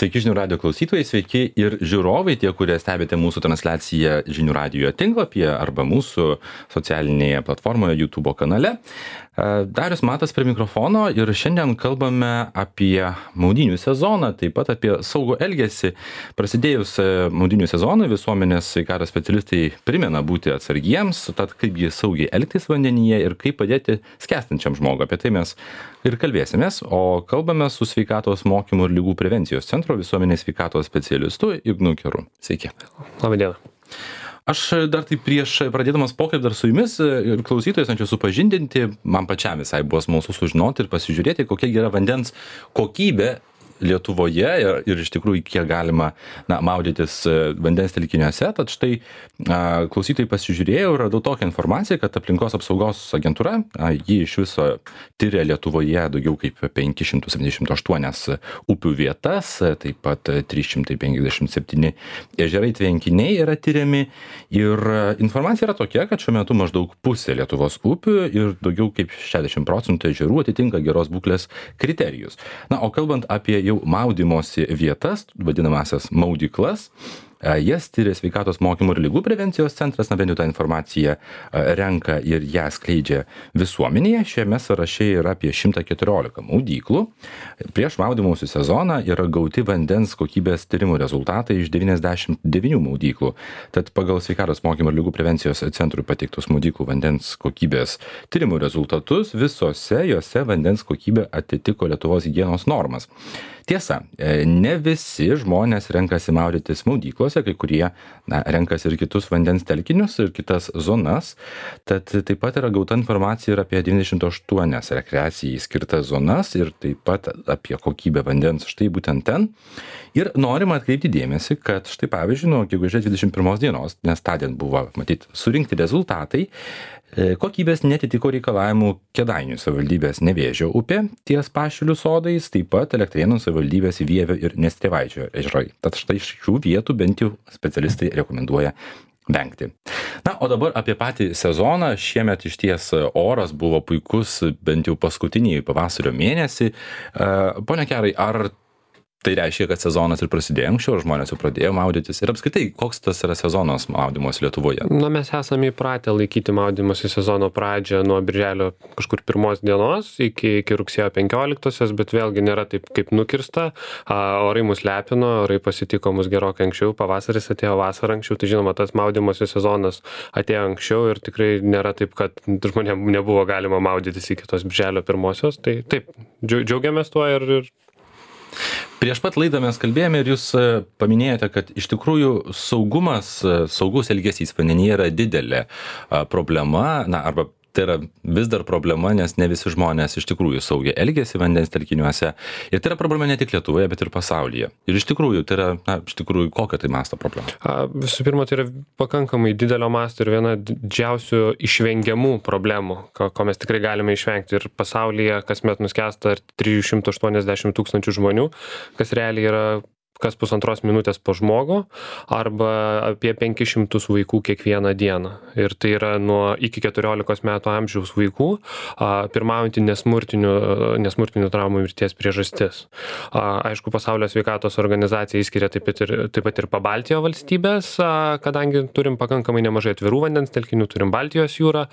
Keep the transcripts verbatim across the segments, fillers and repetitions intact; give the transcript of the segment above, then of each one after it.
Sveiki žinių radio klausytojai, sveiki ir žiūrovai, tie, kurie stebite mūsų transliaciją žinių radio tinklapyje arba mūsų socialinėje platformoje YouTube kanale. Darius Matas prie mikrofono ir šiandien kalbame apie maudynių sezoną, taip pat apie saugų elgesį. Prasidėjus maudynių sezonui visuomenės sveikatos specialistai primena būti atsargiems, tad kaipgi saugiai elgtis vandenyje ir kaip padėti skęstančiam žmogui. Apie tai mes ir kalbėsimės, o kalbame su sveikatos mokymų ir lygų prevencijos centro visuomenės sveikatos specialistu Ignu Keru. Sveiki. Labą dieną. Aš dar tai prieš pradėdamas pokalbį dar su jumis ir klausytojais norėčiau supažindinti, man pačiam visai buvo smalsu sužinoti ir pasižiūrėti, kokia yra vandens kokybė Lietuvoje ir, ir iš tikrųjų kiek galima na, maudytis vandens telkiniuose. Tad štai a, klausytojai pasižiūrėjau ir radau tokią informaciją, kad aplinkos apsaugos agentūra, a, ji iš viso tyria Lietuvoje daugiau kaip penki šimtai septyniasdešimt aštuoni upių vietas, taip pat trys šimtai penkiasdešimt septyni ežerai tvenkiniai yra tyriami. Ir informacija yra tokia, kad šiuo metu maždaug pusė Lietuvos upių ir daugiau kaip šešiasdešimt procentų ežerų atitinka geros būklės kriterijus. Na, o kalbant apie jau maudymosi vietas, vadinamasias maudyklas, jas tyria sveikatos mokymų ir lygų prevencijos centras, na bent jau tą informaciją renka ir ją skleidžia visuomenėje. Šiame sąraše yra apie šimtas keturiolika maudyklų. Prieš maudymosi sezoną yra gauti vandens kokybės tyrimų rezultatai iš devyniasdešimt devynių maudyklų. Tad pagal sveikatos mokymų ir lygų prevencijos centrui pateiktus maudyklų vandens kokybės tyrimų rezultatus, visose jose vandens kokybė atitiko Lietuvos higienos normas. Tiesa, ne visi žmonės renkasi maudytis maudyklose, kai kurie na, renkasi ir kitus vandens telkinius ir kitas zonas. Tad taip pat yra gauta informacija ir apie devyniasdešimt aštuonias rekreacijai skirtas zonas ir taip pat apie kokybę vandens štai būtent ten. Ir norima atkreipti dėmesį, kad štai pavyzdžiui, nuo gegužės dvidešimt pirmos dienos, nes tądien buvo, matyt, surinkti rezultatai, kokybės netitiko reikalavimų Kėdainių savivaldybės Nevėžio upė ties Pašilių sodais, taip pat Elektrėnų savivaldybės Vievio ir Nestrėvaičio ežerai. Tad štai šių vietų bent jau specialistai rekomenduoja vengti. Na, o dabar apie patį sezoną. Šiemet iš ties oras buvo puikus, bent jau paskutinį pavasario mėnesį. Pone Kerai, ar tai reiškia, kad sezonas ir prasidėjo anksčiau, žmonės jau pradėjo maudytis? Ir apskritai, koks tas yra sezonas maudymos Lietuvoje? Na, mes esame įpratę laikyti maudymosi sezono pradžią nuo birželio kažkur pirmos dienos iki, iki rugsėjo penkioliktosios, bet vėlgi nėra taip kaip nukirsta. A, orai mus lepino, orai pasitiko mus gerokai anksčiau, pavasaris atėjo vasarą anksčiau, tai žinoma, tas maudymosi sezonas atėjo anksčiau ir tikrai nėra taip, kad žmonėm nebuvo galima maudytis iki tos birželio pirmosios. Tai taip, džiaugiamės tuo ir... ir Prieš pat laidą mes kalbėjome ir jūs paminėjote, kad iš tikrųjų saugumas, saugus elgesys vandenyje yra didelė problema, na, arba tai yra vis dar problema, nes ne visi žmonės iš tikrųjų saugiai elgiasi vandens telkiniuose. Ir tai yra problema ne tik Lietuvoje, bet ir pasaulyje. Ir iš tikrųjų, tai yra, na, iš tikrųjų, kokia tai masto problema? A, visų pirma, tai yra pakankamai didelio masto ir viena didžiausių išvengiamų problemų, ko, ko mes tikrai galime išvengti. Ir pasaulyje kasmet nuskęsta trijų šimtų aštuoniasdešimt tūkstančių žmonių, kas realiai yra kas pusantros minutės po žmogų, arba apie penkis šimtus vaikų kiekvieną dieną. Ir tai yra nuo iki keturiolikos metų amžiaus vaikų a, pirmaujantį nesmurtinių, nesmurtinių traumų mirties priežastis. A, aišku, Pasaulio sveikatos organizacija įskiria taip pat ir, taip pat ir Pabaltijo valstybės, a, kadangi turim pakankamai nemažai atvirų vandens telkinių, turim Baltijos jūrą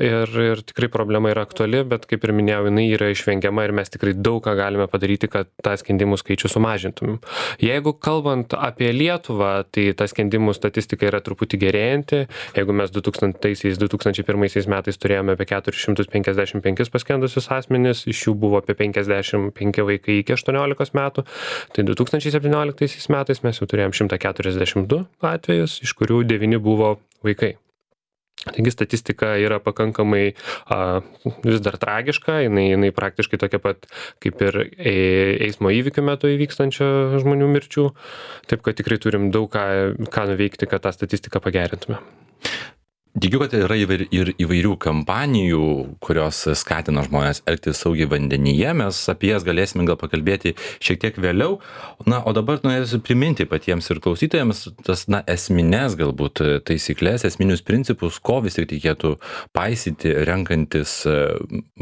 ir, ir tikrai problema yra aktuali, bet kaip ir minėjau, jinai yra išvengiama ir mes tikrai daug ką galime padaryti, kad tą skendimų skaičių sumažintumėm. Jeigu kalbant apie Lietuvą, tai ta skendimų statistika yra truputį gerėjanti. Jeigu mes du tūkstantaisiais, du tūkstančiai pirmaisiais metais turėjome apie keturis šimtus penkiasdešimt penkis paskendusius asmenis, iš jų buvo apie penkiasdešimt penki vaikai iki aštuoniolikos metų, tai du tūkstančiai septynioliktaisiais metais mes jau turėjom šimtą keturiasdešimt du atvejus, iš kurių devyni buvo vaikai. Taigi statistika yra pakankamai a, vis dar tragiška, jinai, jinai praktiškai tokia pat kaip ir e, eismo įvykių metu įvykstančio žmonių mirčių, taip kad tikrai turim daug ką, ką nuveikti, kad tą statistiką pagerintume. Tikiu, kad yra ir įvairių kampanijų, kurios skatina žmonės elgtis saugiai vandenyje. Mes apie jas galėsime gal pakalbėti šiek tiek vėliau. Na, o dabar norėsiu priminti patiems ir klausytojams tas, na, esminės galbūt taisyklės, esminius principus, ko vis tik reikėtų paisyti renkantis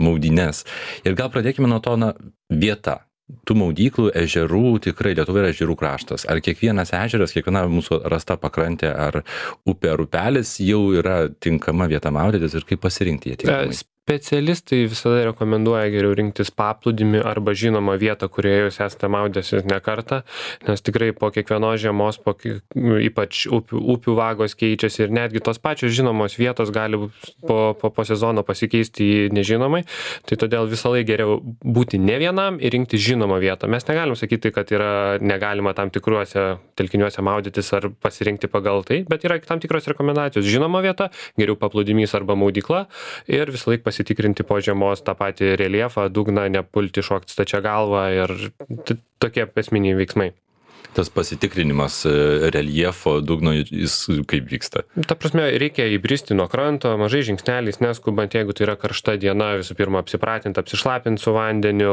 maudynes. Ir gal pradėkime nuo to, na, vieta. tų maudyklų, ežerų, tikrai Lietuva yra ežerų kraštas. Ar kiekvienas ežeras, kiekviena mūsų rasta pakrantė ar upė ar upelis jau yra tinkama vieta maudytis ir kaip pasirinkti ją tinkamai? Specialistai visada rekomenduoja geriau rinktis paplūdimį arba žinomą vietą, kurioje jūs esate maudęsis ne kartą, nes tikrai po kiekvienos žiemos, po, ypač upių, upių vagos keičiasi ir netgi tos pačios žinomos vietos gali po, po, po sezono pasikeisti į nežinomai, tai todėl visą laiką geriau būti ne vienam ir rinkti žinomą vietą. Mes negalim sakyti, kad yra negalima tam tikruose telkiniuose maudytis ar pasirinkti pagal tai, bet yra tam tikros rekomendacijos. Žinoma vieta, geriau paplūdimys arba maudykla ir visą laiką pasitikrinti po žiemos tą patį reljefą, dugną, nepulti šokti stačia galva ir tokie esminiai veiksmai. Tas pasitikrinimas reljefo, dugno, jis kaip vyksta? Ta prasme, reikia įbristi nuo kranto, mažai žingsneliais, neskubant, jeigu tai yra karšta diena, visų pirma apsipratinti, apsišlapinti su vandeniu,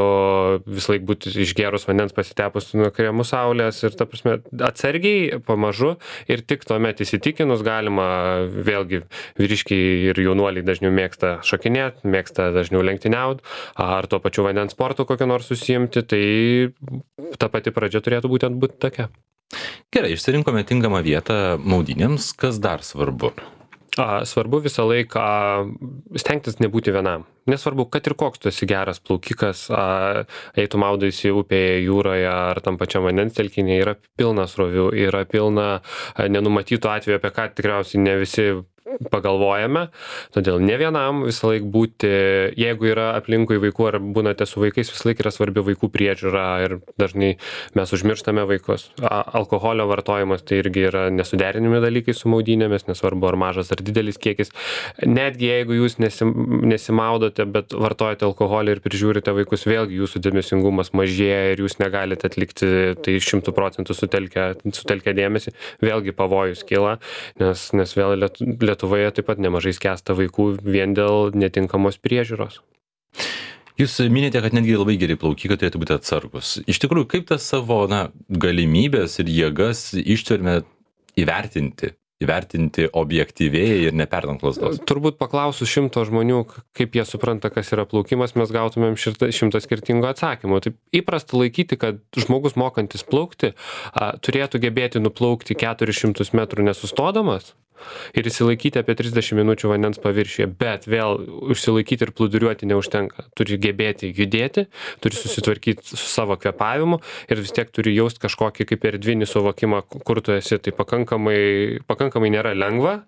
vis laik būti išgerus vandens pasitepus nuo kremų saulės ir ta prasme, atsargiai, pamažu ir tik tuomet įsitikinus galima, vėlgi vyriškiai ir jaunuoliai dažniau mėgsta šokinėti, mėgsta dažniau lenktyniauti, ar tuo pačiu vandens sportu kokio nors užsiimti, tai ta pati pradžia turėtų būtent būti tokia. Gerai, išsirinkome tinkamą vietą maudynėms, kas dar svarbu? A, svarbu visą laiką stengtis nebūti vienam. Nesvarbu, kad ir koks tu esi geras plaukikas, a, jei tu maudaisi upėje, jūroje ar tam pačiam vandens telkinyje, yra pilna srovių, yra pilna a, nenumatytų atvejų, apie ką tikriausiai ne visi pagalvojame, todėl ne vienam visą laik būti, jeigu yra aplinkui vaikų ar būnate su vaikais, visą laik yra svarbi vaikų priežiūra ir dažnai mes užmirštame vaikus. A, alkoholio vartojimas tai irgi yra nesuderinimi dalykai su maudynėmis, nesvarbu ar mažas ar didelis kiekis. Netgi jeigu jūs nesim, nesimaudote, bet vartojate alkoholį ir prižiūrite vaikus, vėlgi jūsų dėmesingumas mažėja ir jūs negalite atlikti tai šimtų procentų sutelkę, sutelkę dėmesį, vėlgi pavojus kyla, nes, nes vėl Lietuvoje taip pat nemažai skęsta vaikų vien dėl netinkamos priežiūros. Jūs minite, kad netgi labai geri plaukikai turėtų būti atsargus. Iš tikrųjų, kaip tas savo na, galimybės ir jėgas ištverme įvertinti? Įvertinti objektyviai ir neperdant lazdos? Turbūt paklausus šimto žmonių, kaip jie supranta, kas yra plaukimas, mes gautumėm šimtą skirtingų atsakymų. Taip įprasta laikyti, kad žmogus mokantis plaukti a, turėtų gebėti nuplaukti keturis šimtus metrų nesustodamas ir išsilaikyti apie trisdešimt minučių vandens paviršiuje, bet vėl užsilaikyti ir plūduriuoti neužtenka. Turi gebėti judėti, turi susitvarkyti su savo kvėpavimu ir vis tiek turi jausti kažkokį kaip erdvinį suvokimą, kur tu esi. Tai pakankamai, pakankamai nėra lengva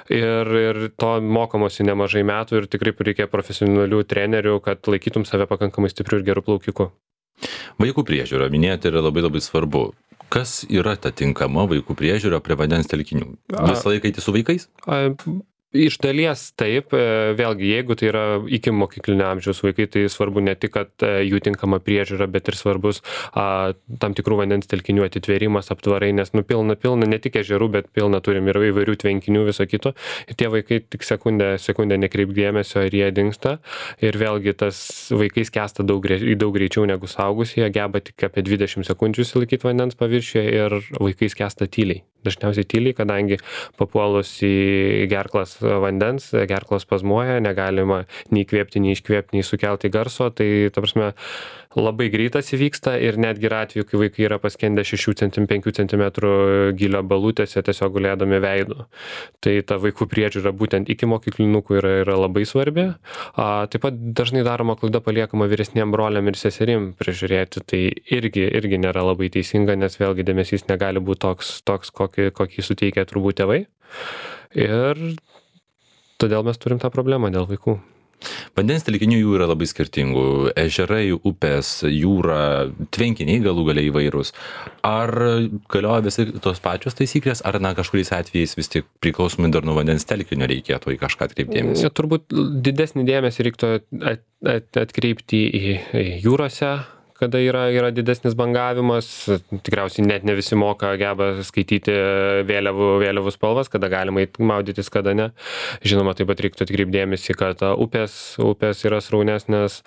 ir, ir to mokomosi nemažai metų ir tikrai reikia profesionalių trenerių, kad laikytum save pakankamai stipriu ir geru plaukiku. Vaikų priežiūra, minėjote, yra labai labai svarbu. Kas yra ta tinkama vaikų priežiūra prie vandens telkinių? Visą laiką eiti su vaikais? A, iš dalies taip, vėlgi, jeigu tai yra iki mokyklinio amžiaus vaikai, tai svarbu ne tik, kad jų tinkama priežiūra, bet ir svarbus a, tam tikrų vandens telkinių atitvėrimas, aptvarai, nes nu pilna, pilna, ne tik ežerų, bet pilna turim ir įvairių tvenkinių, viso kito. Ir tie vaikai tik sekundę, sekundę nekreip dėmesio ir jie dingsta. Ir vėlgi tas vaikai skęsta daug, daug greičiau negu suaugusieji, geba tik apie dvidešimt sekundžių išsilaikyti vandens paviršiuje ir vaikai skęsta tyliai. Dažniausiai tyliai, kadangi papuolus į gerklas vandens, gerklos spazmuoja, negalima nei įkvėpti, nei iškvėpti, nei sukelti garso, tai ta prasme labai greitas įvyksta ir netgi yra atveju, kai vaikai yra paskendę šešių centimetrų, penkių centimetrų gilio balutėse tiesiog gulėdami veidu. Tai ta vaikų priežiūra būtent iki mokyklinukų yra, yra labai svarbi. A, taip pat dažnai daroma klaida paliekama vyresniem broliam ir seserim prižiūrėti, tai irgi, irgi nėra labai teisinga, nes vėlgi dėmesys negali būti toks, toks kokį, kokį suteikia turbūt tėvai. Ir todėl mes turim tą problemą dėl vaikų. Vandens telkinių jų yra labai skirtingų. Ežerai, upės, jūra, tvenkiniai galų galiai įvairūs. Ar galioja visi tos pačios taisyklės, ar na, kažkuriais atvejais vis tik priklausomai dar nuo vandens telkinio reikėtų į kažką atkreipdėmėsi? Turbūt didesnį dėmesį reiktų at, at, atkreipti į, į jūrose, kada yra, yra didesnis bangavimas, tikriausiai net ne visi moka, geba skaityti vėliavų, vėliavų spalvas, kada galima maudytis, kada ne. Žinoma, taip pat reiktų atkreipdėmėsi, kad upės, upės yra sraunesnės,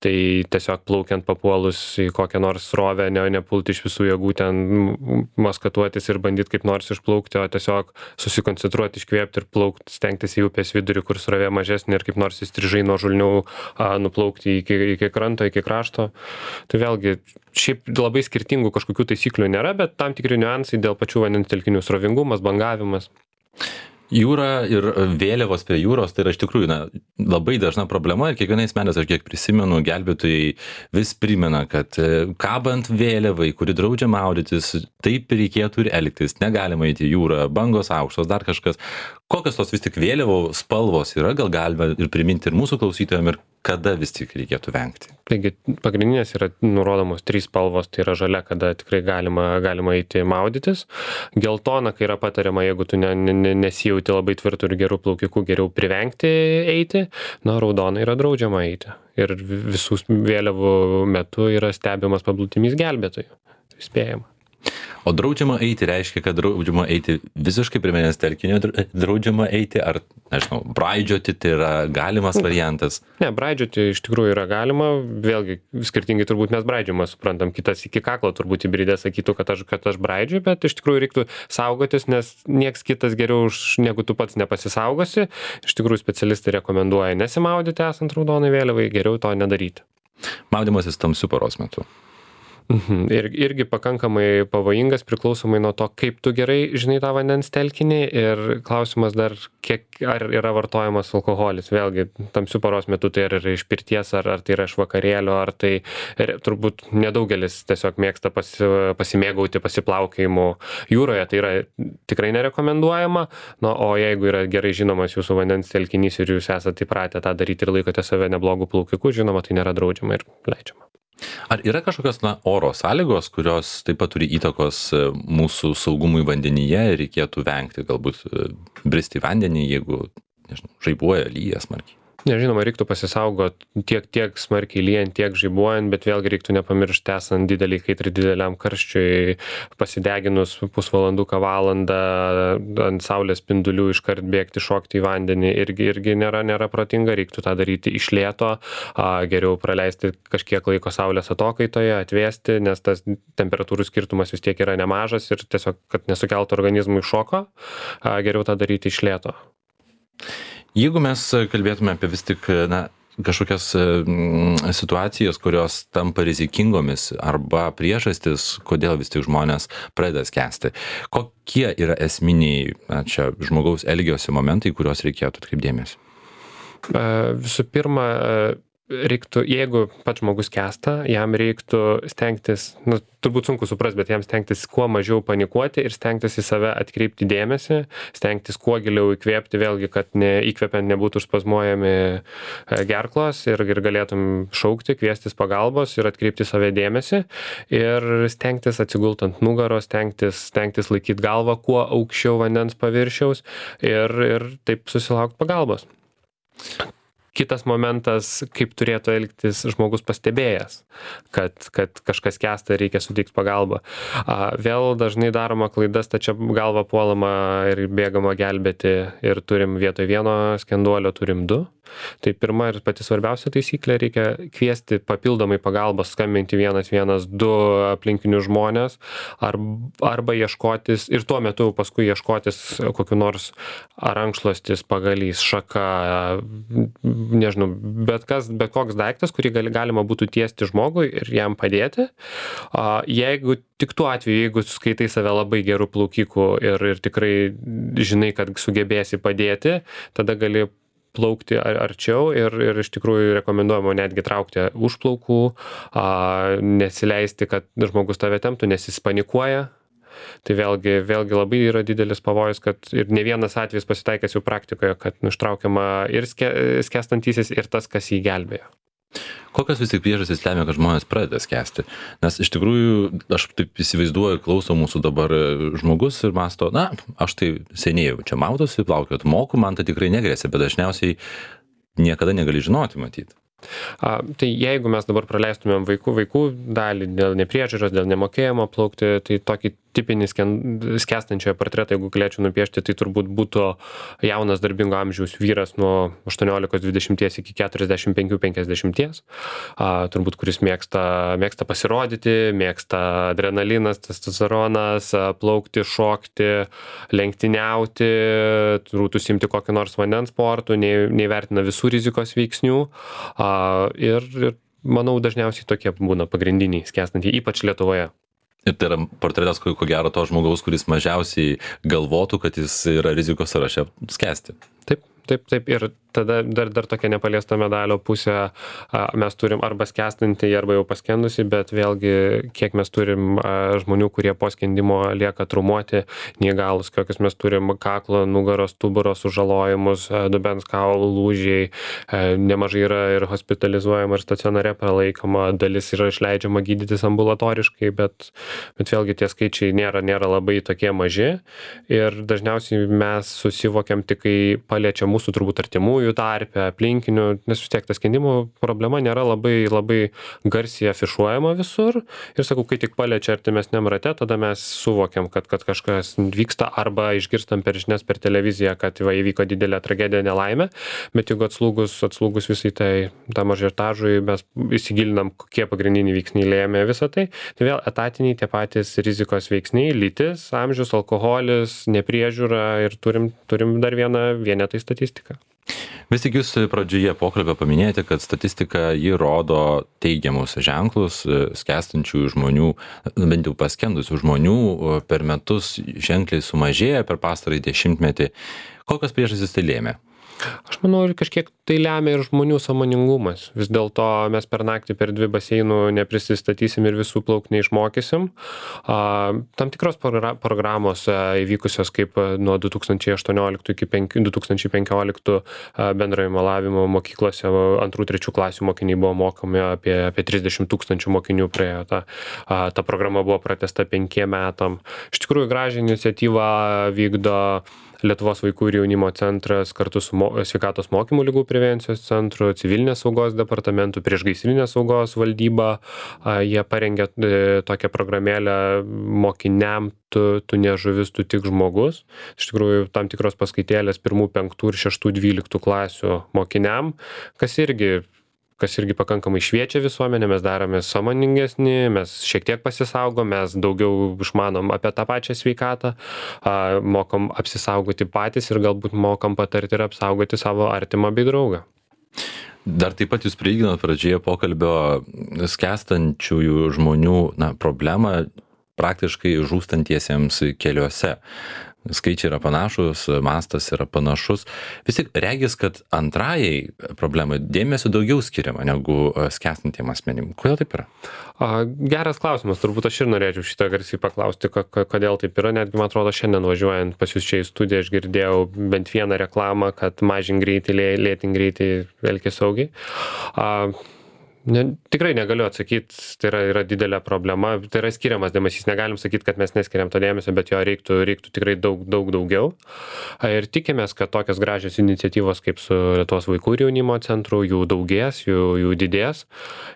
tai tiesiog plaukiant papuolus į kokią nors srovę, ne, nepulti iš visų jėgų ten maskatuotis ir bandyti kaip nors išplaukti, o tiesiog susikoncentruoti, iškvėpti ir plaukti, stengtis į upės vidurį, kur srovė mažesnė ir kaip nors įstrižai nuo žulnių a, nuplaukti iki, iki kranto, iki krašto. Tai vėlgi, šiaip labai skirtingų kažkokių taisyklių nėra, bet tam tikri niuansai dėl pačių vandens telkinių srovingumas, bangavimas. Jūra ir vėliavos prie jūros, tai yra iš tikrųjų na, labai dažna problema ir kiekvienais metais, aš kiek prisimenu, gelbėtojai vis primena, kad kabant vėliavai, kuri draudžia maudytis, taip reikėtų ir elgtis, negalima eiti į jūrą, bangos aukštos, dar kažkas. Kokios tos vis tik vėliavų spalvos yra, gal galime ir priminti ir mūsų klausytojams, ir kada vis tik reikėtų vengti? Taigi pagrindinės yra nurodomos trys spalvos, tai yra žalia, kada tikrai galima, galima eiti maudytis, geltona, kai yra patariama, jeigu tu ne, ne, nesijauti labai tvirtų ir gerų plaukikų, geriau privengti eiti, na, raudona yra draudžiama eiti. Ir visų vėliavų metu yra stebimas paplūdimys gelbėtojų, spėjama. O draudžiama eiti reiškia, kad draudžiama eiti visiškai prie vandens telkinio, draudžiama eiti, ar, nežinau, braidžioti, tai yra galimas variantas? Ne, braidžioti iš tikrųjų yra galima, vėlgi skirtingai turbūt mes braidžiamą suprantam, kitas iki kaklo turbūt įbridė sakytų, kad aš, kad aš braidžiu, bet iš tikrųjų reiktų saugotis, nes nieks kitas geriau už, negu tu pats nepasisaugosi. Iš tikrųjų specialistai rekomenduoja nesimaudyti esant raudonai vėliavai, geriau to nedaryti. Maudymasis tamsiu paros metu. Mhm. Ir, irgi pakankamai pavojingas priklausomai nuo to, kaip tu gerai žinai tą vandens telkinį ir klausimas dar, kiek, ar yra vartojamas alkoholis. Vėlgi, tamsiu paros metu tai ar yra iš pirties, ar, ar tai yra iš vakarėlio, ar tai ir, turbūt nedaugelis tiesiog mėgsta pasi, pasimėgauti pasiplaukėjimu jūroje, tai yra tikrai nerekomenduojama. Na, o jeigu yra gerai žinomas jūsų vandens telkinys ir jūs esate įpratę tą daryti ir laikote save neblogų plaukikų, žinoma, tai nėra draudžiama ir leidžiama. Ar yra kažkokios na, oro sąlygos, kurios taip pat turi įtakos mūsų saugumui vandenyje ir reikėtų vengti, galbūt bristi į vandenį, jeigu, nežinau, žaibuoja, lyja smarkiai? Nežinoma, reiktų pasisaugot tiek, tiek smarkiai lyjant, tiek žaibuojant, bet vėlgi reiktų nepamiršti esant didelį kaitri dideliam karščiui, pasideginus pusvalanduką valandą ant saulės spindulių iškart bėgti, šokti į vandenį, irgi, irgi nėra, nėra protinga, reiktų tą daryti iš lėto, a, geriau praleisti kažkiek laiko saulės atokaitoje, atvėsti, nes tas temperatūrų skirtumas vis tiek yra nemažas ir tiesiog, kad nesukeltų organizmui šoko, a, geriau tą daryti iš lėto. Jeigu mes kalbėtume apie vis tik na, kažkokias mm, situacijas, kurios tampa rizikingomis arba priežastis, kodėl vis tik žmonės pradeda skęsti, kokie yra esminiai na, čia žmogaus elgesio momentai, kuriuos reikėtų atkreipti dėmesį? Visų pirma, reiktų, jeigu pats žmogus skęsta, jam reiktų stengtis, nu, turbūt sunku suprast, bet jam stengtis kuo mažiau panikuoti ir stengtis į save atkreipti dėmesį, stengtis kuo giliau įkvėpti, vėlgi, kad ne, įkvepiant nebūtų spazmuojami gerklos ir, ir galėtum šaukti, kviestis pagalbos ir atkreipti save dėmesį ir stengtis atsigult ant nugaros, stengtis, stengtis laikyti galvą kuo aukščiau vandens paviršiaus ir, ir taip susilaukti pagalbos. Kitas momentas, kaip turėtų elgtis žmogus pastebėjęs, kad, kad kažkas skęsta ir reikia suteikti pagalbą. Vėl dažnai daroma klaida, stačia galva puolama ir bėgama gelbėti ir turim vietoj vieno skenduolio, turim du. Tai pirma ir pati svarbiausia taisyklė, reikia kviesti papildomai pagalbos, skambinti vienas vienas du aplinkinius žmonės arba ieškotis ir tuo metu paskui ieškotis kokiu nors rankšluostis, pagalys, šaka, nežinau, bet kas, bet koks daiktas, kurį gali, galima būtų tiesti žmogui ir jam padėti. Jeigu tik tuo atveju, jeigu skaitai save labai gerų plaukikų ir, ir tikrai žinai, kad sugebėsi padėti, tada gali plaukti arčiau ir, ir iš tikrųjų rekomenduojama netgi traukti už plaukų, a, nesileisti, kad žmogus tave temptų, nes jis panikuoja. Tai vėlgi, vėlgi labai yra didelis pavojus, kad ir ne vienas atvejis pasitaikęs jau praktikoje, kad ištraukiama ir ske, skęstantysis ir tas, kas jį gelbėjo. Kokios vis tik priežastys lemia, kad žmonės pradeda skęsti? Nes iš tikrųjų, aš taip įsivaizduoju, klauso mūsų dabar žmogus ir mąsto, na, aš tai seniai čia maudosi, plaukiot moku, man tai tikrai negresia, bet dažniausiai niekada negali žinoti, matyti. A, tai jeigu mes dabar praleistumėm vaikų, vaikų dalį dėl nepriežiūros, dėl nemokėjimo plaukti, tai tokį tipinį skęstančiojo portretą, jeigu galėčiau nupiešti, tai turbūt būtų jaunas darbingo amžiaus vyras nuo aštuoniolikos dvidešimties iki keturiasdešimt penkių penkiasdešimties, turbūt kuris mėgsta, mėgsta pasirodyti, mėgsta adrenalinas, testosteronas, plaukti, šokti, lenktyniauti, turbūt užsiimti kokį nors vandens sportų, nei, neįvertina visų rizikos veiksnių. Ir, ir manau, dažniausiai tokie būna pagrindiniai skęstantieji, ypač Lietuvoje. Ir tai yra portretas, ko ko gero, to žmogaus, kuris mažiausiai galvotų, kad jis yra rizikos sąraše skęsti. Taip, taip, taip. Ir tada dar, dar tokia nepaliesta medalio pusė, a, mes turim arba skęstantį, arba jau paskendusi, bet vėlgi, kiek mes turim a, žmonių, kurie po skendimo lieka traumuoti, neįgalus, kokius mes turim kaklo, nugaros, stuburo sužalojimus, a, dubens kaulų lūžiai, a, nemažai yra ir hospitalizuojama, ir stacionare pralaikoma, dalis yra išleidžiama gydytis ambulatoriškai, bet, bet vėlgi tie skaičiai nėra, nėra labai tokie maži ir dažniausiai mes susivokiam tik, kai paliečia mūsų turbūt artimųjų tarpe, aplinkinių, nes vis tiek ta skendimo problema nėra labai, labai garsiai afišuojama visur. Ir sakau, kai tik paliečia artimesniam rate, tada mes suvokiam, kad, kad kažkas vyksta arba išgirstam per žinias, per televiziją, kad va, įvyko didelė tragedija, nelaimė. Bet jeigu atslūgus, atslūgus visai tai tam ažiotažui, mes įsigilinam, kokie pagrindiniai veiksniai lėmė visą tai. Tai vėl etatiniai tie patys rizikos veiksniai, lytis, amžius, alkoholis, nepriežiūra ir turim, turim dar vieną vienetą statistiką. Vis tik jūs pradžioje pokalbio paminėjote, kad statistika ji rodo teigiamus ženklus skęstančių žmonių, bent jau paskendusių žmonių per metus ženkliai sumažėja per pastarąjį dešimtmetį. Kokios priežastys tai lėmė? Aš manau, ir kažkiek tai lemia ir žmonių sąmoningumas. Vis dėlto mes per naktį per dvi baseinų neprisistatysim ir visų plauk neišmokysim. A, tam tikros progra programos a, įvykusios kaip nuo du tūkstančiai aštuonioliktų iki du tūkstančiai penkioliktų bendrojo malavimo mokyklose antrų, trečių klasių mokiniai buvo mokomi, apie, apie trisdešimt tūkstančių mokinių praėjo. Ta, a, ta programa buvo pratęsta penkiem metam. Iš tikrųjų, gražią iniciatyvą vykdo Lietuvos vaikų ir jaunimo centras kartu su mo sveikatos mokymų ligų prevencijos centru, civilinės saugos departamentu, priešgaisrinės saugos valdyba. A, jie parengė e, tokią programėlę mokiniam, tu, tu ne žuvis, tu tik žmogus. Iš tikrųjų, tam tikros paskaitėlės pirmų, penktų ir šeštų, dvyliktų klasių mokiniam, kas irgi kas irgi pakankamai šviečia visuomenę, mes darome sąmoningesni, mes šiek tiek pasisaugom, mes daugiau išmanom apie tą pačią sveikatą, a, mokam apsisaugoti patys ir galbūt mokam patarti ir apsaugoti savo artimą bei draugą. Dar taip pat jūs prilyginot pradžioje pokalbio skęstančiųjų žmonių na, problemą praktiškai žūstantiesiems keliuose. Skaičiai yra panašus, mastas yra panašus. Vis tik regis, kad antrajai problemai dėmesio daugiau skiriama negu skęstantiem asmenim. Kodėl taip yra? A, geras klausimas, turbūt aš ir norėčiau šitą garsiai paklausti, kodėl taip yra. Netgi, man atrodo, šiandien važiuojant pas jūs čia į studiją, aš girdėjau bent vieną reklamą, kad mažink greitį, lėtink greitį, elkis saugiai. A, Ne, tikrai negaliu atsakyti, tai yra, yra didelė problema, tai yra skiriamas dėmesys, negalim sakyti, kad mes neskiriam to dėmesio, bet jo reiktų, reiktų tikrai daug, daug daugiau. Ir tikimės, kad tokios gražios iniciatyvos kaip su Lietuvos vaikų ir jaunimo centru, jų daugės, jų, jų didės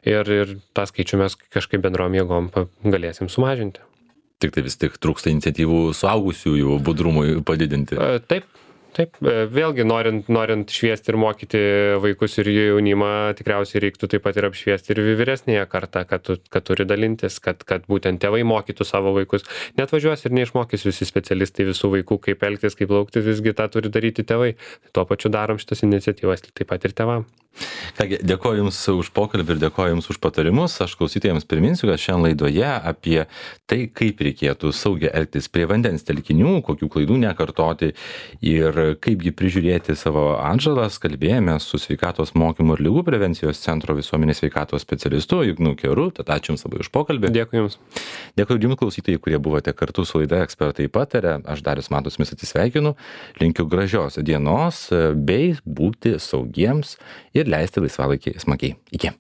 ir, ir tą skaičių mes kažkaip bendrom jėgom galėsim sumažinti. Tik tai vis tik trūksta iniciatyvų suaugusiųjų budrumui padidinti. Taip. Taip, vėlgi norint, norint šviesti ir mokyti vaikus ir jaunimą, tikriausiai reiktų taip pat ir apšviesti ir vyresnėje kartą, kad, tu, kad turi dalintis, kad, kad būtent tėvai mokytų savo vaikus. Net važiuos ir neišmokys visi specialistai visų vaikų, kaip elgtis, kaip laukti, visgi tą turi daryti tėvai. Tuo pačiu darom šitas iniciatyvas taip pat ir tėvam. Kągi, dėkoju Jums už pokalbį ir dėkoju Jums už patarimus. Aš klausytojams priminsiu, kad šiandien laidoje apie tai, kaip reikėtų saugiai elgtis prie vandens telkinių, kokių klaidų nekartoti ir kaipgi prižiūrėti savo atžalas, kalbėjome su sveikatos mokymų ir ligų prevencijos centro visuomenės sveikatos specialistu Ignu Keru. Tad ačiū Jums labai už pokalbį. Dėkui Jums. Dėkui Jums klausytojai, kurie buvote kartu su laida Ekspertai pataria. Aš Darius Matas Jumis atsisveikinu. Linkiu gražios dienos bei būti saugiems ir leisti laisvalaikį smagiai. Iki.